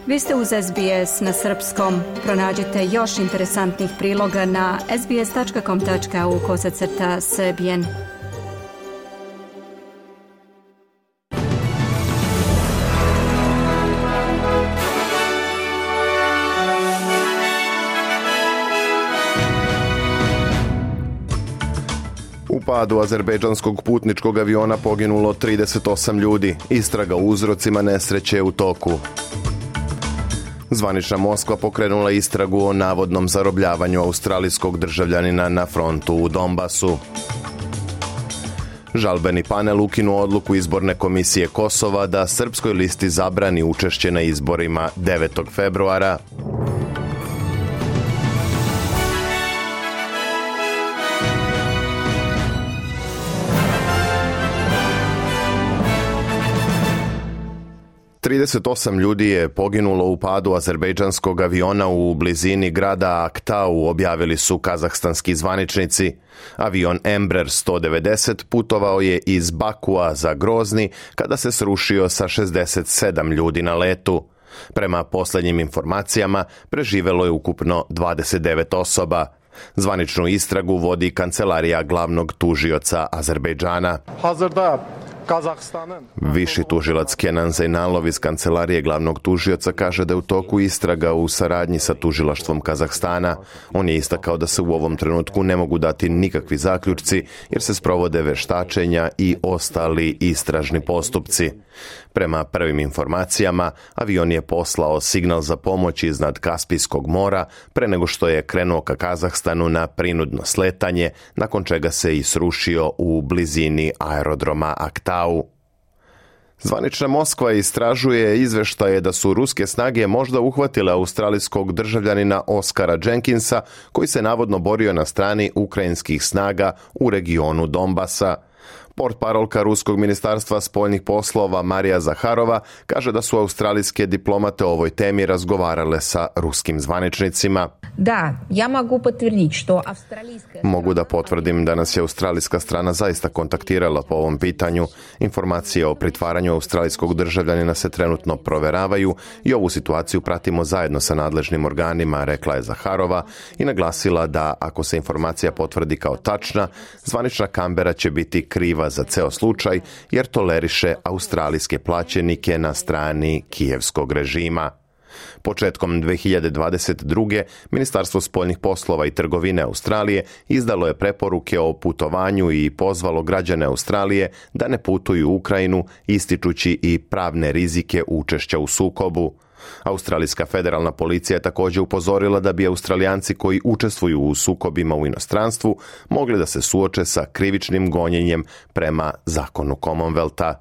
Vi ste uz SBS na srpskom. Pronađite još interesantnih priloga na sbs.com.au/srbijen. U padu azerbejdžanskog putničkog aviona poginulo 38 ljudi. Istraga o uzrocima nesreće je u toku. Zvanična Moskva pokrenula istragu o navodnom zarobljavanju australijskog državljanina na frontu u Donbasu. Žalbeni panel ukinuo odluku izborne komisije Kosova da srpskoj listi zabrani učešće na izborima 9. februara. Trideset osam ljudi je poginulo u padu azerbejdžanskog aviona u blizini grada Aktau, objavili su kazahstanski zvaničnici. Avion Embraer 190 putovao je iz Bakua za Grozni kada se srušio sa 67 ljudi na letu. Prema posljednjim informacijama, preživelo je ukupno 29 osoba. Zvaničnu istragu vodi kancelarija glavnog tužioca Azerbejdžana. Viši tužilac Kenan Zeynalov iz kancelarije glavnog tužioca kaže da je u toku istraga u saradnji sa tužilaštvom Kazahstana. On je istakao da se u ovom trenutku ne mogu dati nikakvi zaključci jer se sprovode veštačenja i ostali istražni postupci. Prema prvim informacijama, avion je poslao signal za pomoć iznad Kaspijskog mora pre nego što je krenuo ka Kazahstanu na prinudno sletanje, nakon čega se i srušio u blizini aerodroma Aktau. Zvanična Moskva istražuje izveštaje da su ruske snage možda uhvatile australijskog državljanina Oskara Jenkinsa, koji se navodno borio na strani ukrajinskih snaga u regionu Donbasa. Portparolka Ruskog ministarstva spoljnih poslova Marija Zaharova kaže da su australijske diplomate o ovoj temi razgovarale sa ruskim zvaničnicima. Mogu da potvrdim da nas je australijska strana zaista kontaktirala po ovom pitanju. Informacije o pritvaranju australijskog državljanina se trenutno proveravaju i ovu situaciju pratimo zajedno sa nadležnim organima, rekla je Zaharova i naglasila da ako se informacija potvrdi kao tačna, zvanična Kambera će biti kriva za ceo slučaj jer toleriše australijske plaćenike na strani kijevskog režima. Početkom 2022. Ministarstvo spoljnih poslova i trgovine Australije izdalo je preporuke o putovanju i pozvalo građane Australije da ne putuju u Ukrajinu, ističući i pravne rizike učešća u sukobu. Australijska federalna policija je također upozorila da bi Australijanci koji učestvuju u sukobima u inostranstvu mogli da se suoče sa krivičnim gonjenjem prema zakonu Commonwealtha.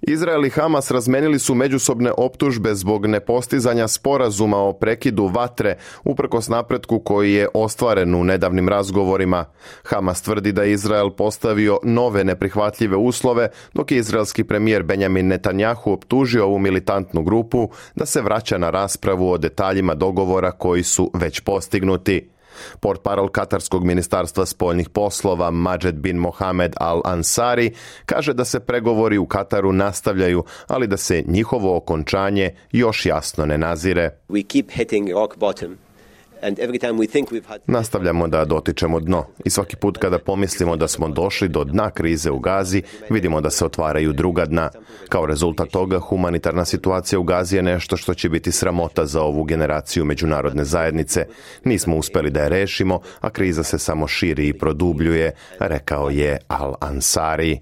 Izrael i Hamas razmenili su međusobne optužbe zbog nepostizanja sporazuma o prekidu vatre uprkos napretku koji je ostvaren u nedavnim razgovorima. Hamas tvrdi da je Izrael postavio nove neprihvatljive uslove, dok je izraelski premijer Benjamin Netanjahu optužio ovu militantnu grupu da se vraća na raspravu o detaljima dogovora koji su već postignuti. Portparol Katarskog ministarstva spoljnih poslova Majed bin Mohamed Al-Ansari kaže da se pregovori u Kataru nastavljaju, ali da se njihovo okončanje još jasno ne nazire. Nastavljamo da dotičemo dno i svaki put kada pomislimo da smo došli do dna krize u Gazi, vidimo da se otvaraju druga dna. Kao rezultat toga, humanitarna situacija u Gazi je nešto što će biti sramota za ovu generaciju međunarodne zajednice. Nismo uspjeli da je rešimo, a kriza se samo širi i produbljuje, rekao je Al-Ansari.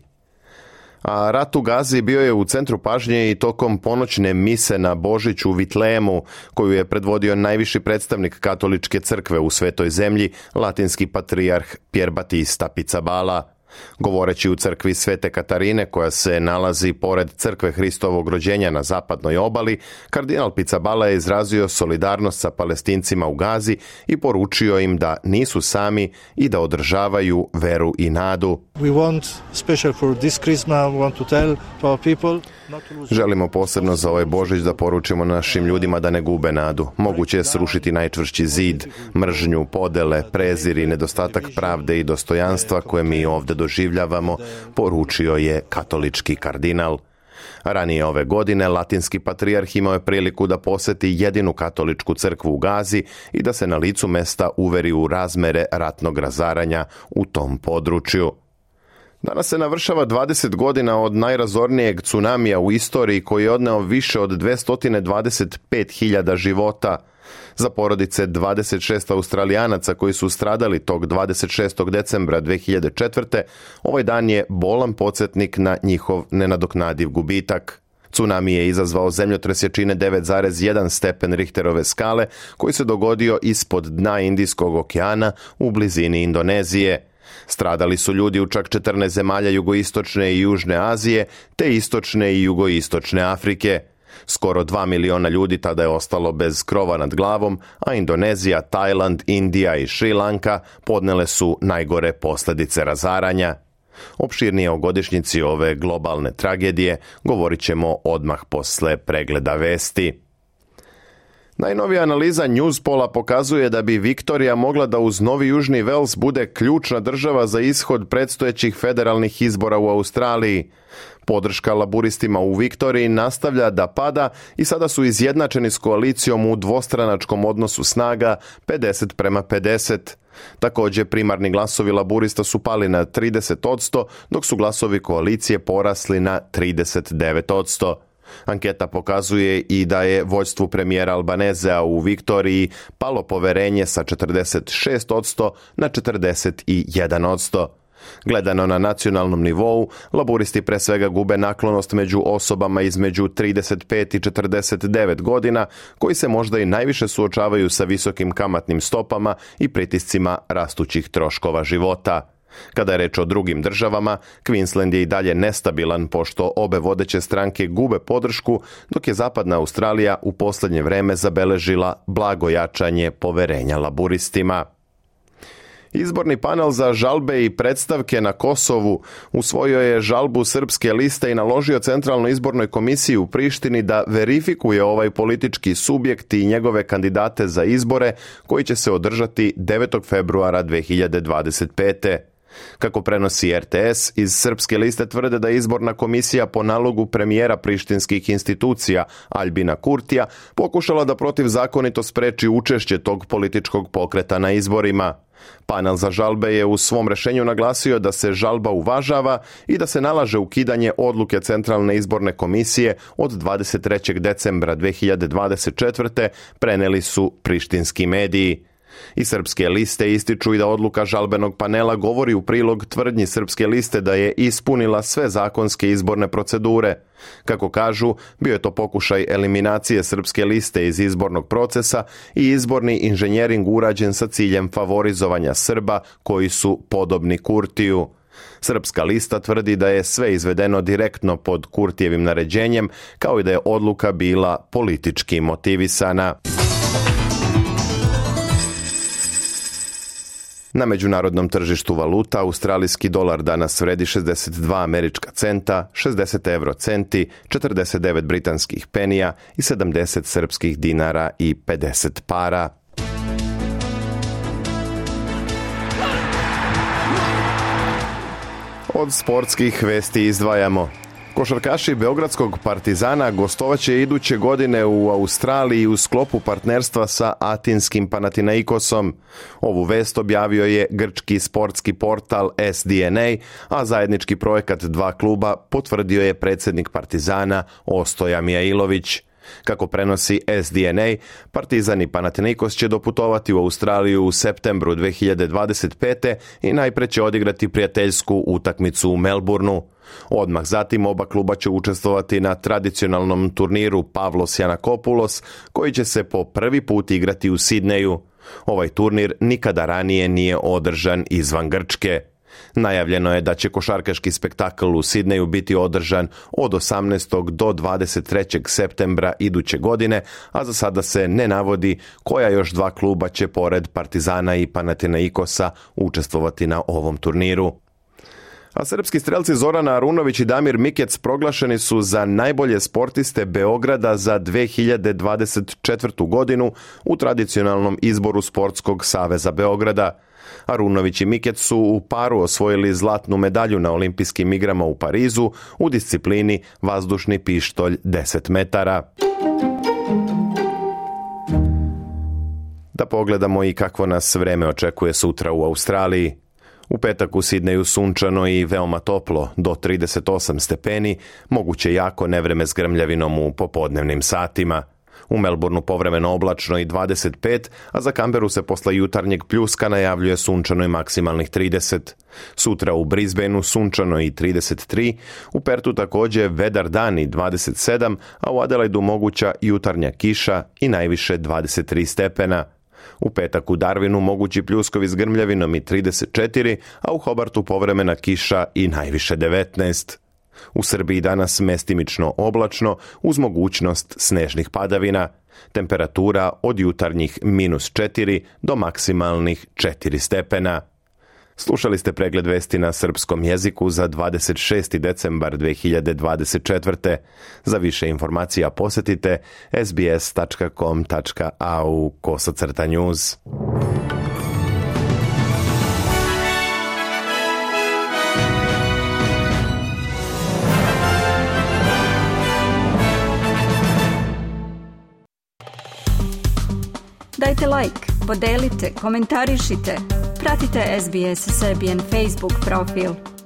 A rat u Gazi bio je u centru pažnje i tokom ponoćne mise na Božić u Vitlejemu, koju je predvodio najviši predstavnik katoličke crkve u svetoj zemlji, latinski patrijarh Pier Battista Pizzaballa. Govoreći u crkvi Svete Katarine, koja se nalazi pored crkve Hristovog rođenja na zapadnoj obali, kardinal Pizzaballa je izrazio solidarnost sa Palestincima u Gazi i poručio im da nisu sami i da održavaju veru i nadu. Želimo posebno za ovaj Božić da poručimo našim ljudima da ne gube nadu. Moguće je srušiti najčvršći zid, mržnju, podele, prezir i nedostatak pravde i dostojanstva koje mi ovdje doživljavamo, poručio je katolički kardinal. Ranije ove godine latinski patrijarh imao je priliku da poseti jedinu katoličku crkvu u Gazi i da se na licu mesta uveri u razmere ratnog razaranja u tom području. Danas se navršava 20 godina od najrazornijeg tsunamija u istoriji koji je odneo više od 225.000 života. Za porodice 26 Australijanaca koji su stradali tog 26. decembra 2004. ovaj dan je bolan podsjetnik na njihov nenadoknadiv gubitak. Tsunami je izazvao zemljotres jačine 9,1 stepen Richterove skale koji se dogodio ispod dna Indijskog okeana u blizini Indonezije. Stradali su ljudi u čak 14 zemalja jugoistočne i južne Azije, te istočne i jugoistočne Afrike. Skoro 2 miliona ljudi tada je ostalo bez krova nad glavom, a Indonezija, Tajland, Indija i Šri Lanka podnele su najgore posljedice razaranja. Opširnije o godišnjici ove globalne tragedije govorit ćemo odmah posle pregleda vesti. Najnovija analiza Newspola pokazuje da bi Viktorija mogla da uz Novi Južni Vels bude ključna država za ishod predstojećih federalnih izbora u Australiji. Podrška laburistima u Viktoriji nastavlja da pada i sada su izjednačeni s koalicijom u dvostranačkom odnosu snaga 50:50. Također primarni glasovi laburista su pali na 30%, dok su glasovi koalicije porasli na 39%. Anketa pokazuje i da je vođstvu premijera Albanezea u Viktoriji palo poverenje sa 46% na 41%. Gledano na nacionalnom nivou, laburisti pre svega gube naklonost među osobama između 35 i 49 godina, koji se možda i najviše suočavaju sa visokim kamatnim stopama i pritiscima rastućih troškova života. Kada je reč o drugim državama, Queensland je i dalje nestabilan pošto obe vodeće stranke gube podršku, dok je Zapadna Australija u posljednje vreme zabeležila blago jačanje poverenja laburistima. Izborni panel za žalbe i predstavke na Kosovu usvojio je žalbu Srpske liste i naložio Centralnoj izbornoj komisiji u Prištini da verifikuje ovaj politički subjekt i njegove kandidate za izbore koji će se održati 9. februara 2025. Kako prenosi RTS, iz Srpske liste tvrde da je izborna komisija po nalogu premijera prištinskih institucija Aljbina Kurtija pokušala da protivzakonito spreči učešće tog političkog pokreta na izborima. Panel za žalbe je u svom rešenju naglasio da se žalba uvažava i da se nalaže ukidanje odluke Centralne izborne komisije od 23. decembra 2024. preneli su prištinski mediji. I Srpske liste ističu i da odluka žalbenog panela govori u prilog tvrdnji Srpske liste da je ispunila sve zakonske izborne procedure. Kako kažu, bio je to pokušaj eliminacije Srpske liste iz izbornog procesa i izborni inženjering urađen sa ciljem favorizovanja Srba koji su podobni Kurtiju. Srpska lista tvrdi da je sve izvedeno direktno pod Kurtijevim naređenjem, kao i da je odluka bila politički motivisana. Na međunarodnom tržištu valuta australijski dolar danas vredi 62 američka centa, 60 eurocenti, 49 britanskih penija i 70 srpskih dinara i 50 para. Od sportskih vesti izdvajamo. Košarkaši Beogradskog Partizana gostovaće iduće godine u Australiji u sklopu partnerstva sa atinskim Panathinaikosom. Ovu vest objavio je grčki sportski portal SDNA, a zajednički projekat dva kluba potvrdio je predsjednik Partizana Ostoja Mijailović. Kako prenosi SDNA, Partizan i Panathinaikos će doputovati u Australiju u septembru 2025. i najpre će odigrati prijateljsku utakmicu u Melbourneu. Odmah zatim oba kluba će učestvovati na tradicionalnom turniru Pavlos Janakopoulos, koji će se po prvi put igrati u Sidneju. Ovaj turnir nikada ranije nije održan izvan Grčke. Najavljeno je da će košarkaški spektakl u Sidneju biti održan od 18. do 23. septembra iduće godine, a za sada se ne navodi koja još dva kluba će pored Partizana i Panathinaikosa učestvovati na ovom turniru. A srpski strelci Zorana Arunović i Damir Mikec proglašeni su za najbolje sportiste Beograda za 2024. godinu u tradicionalnom izboru Sportskog saveza Beograda. Arunović i Mikec su u paru osvojili zlatnu medalju na olimpijskim igrama u Parizu u disciplini vazdušni pištolj 10 metara. Da pogledamo i kakvo nas vreme očekuje sutra u Australiji. U petak u Sidneju sunčano i veoma toplo, do 38 stepeni, moguće jako nevreme s grmljavinom u popodnevnim satima. U Melbourneu povremeno oblačno i 25, a za Canberu se posle jutarnjeg pljuska najavljuje sunčano i maksimalnih 30. Sutra u Brisbaneu sunčano i 33, u Pertu također vedar dan i 27, a u Adelaidu moguća jutarnja kiša i najviše 23 stepena. U petak u Darwinu mogući pljuskovi s grmljavinom i 34, a u Hobartu povremena kiša i najviše 19. U Srbiji danas mestimično oblačno uz mogućnost snežnih padavina. Temperatura od jutarnjih -4 do maksimalnih 4 stepena. Slušali ste pregled vesti na srpskom jeziku za 26. decembar 2024. Za više informacija posjetite sbs.com.au/news. Dajte like, podelite, komentarišite. Pratite SBS Serbian Facebook profil.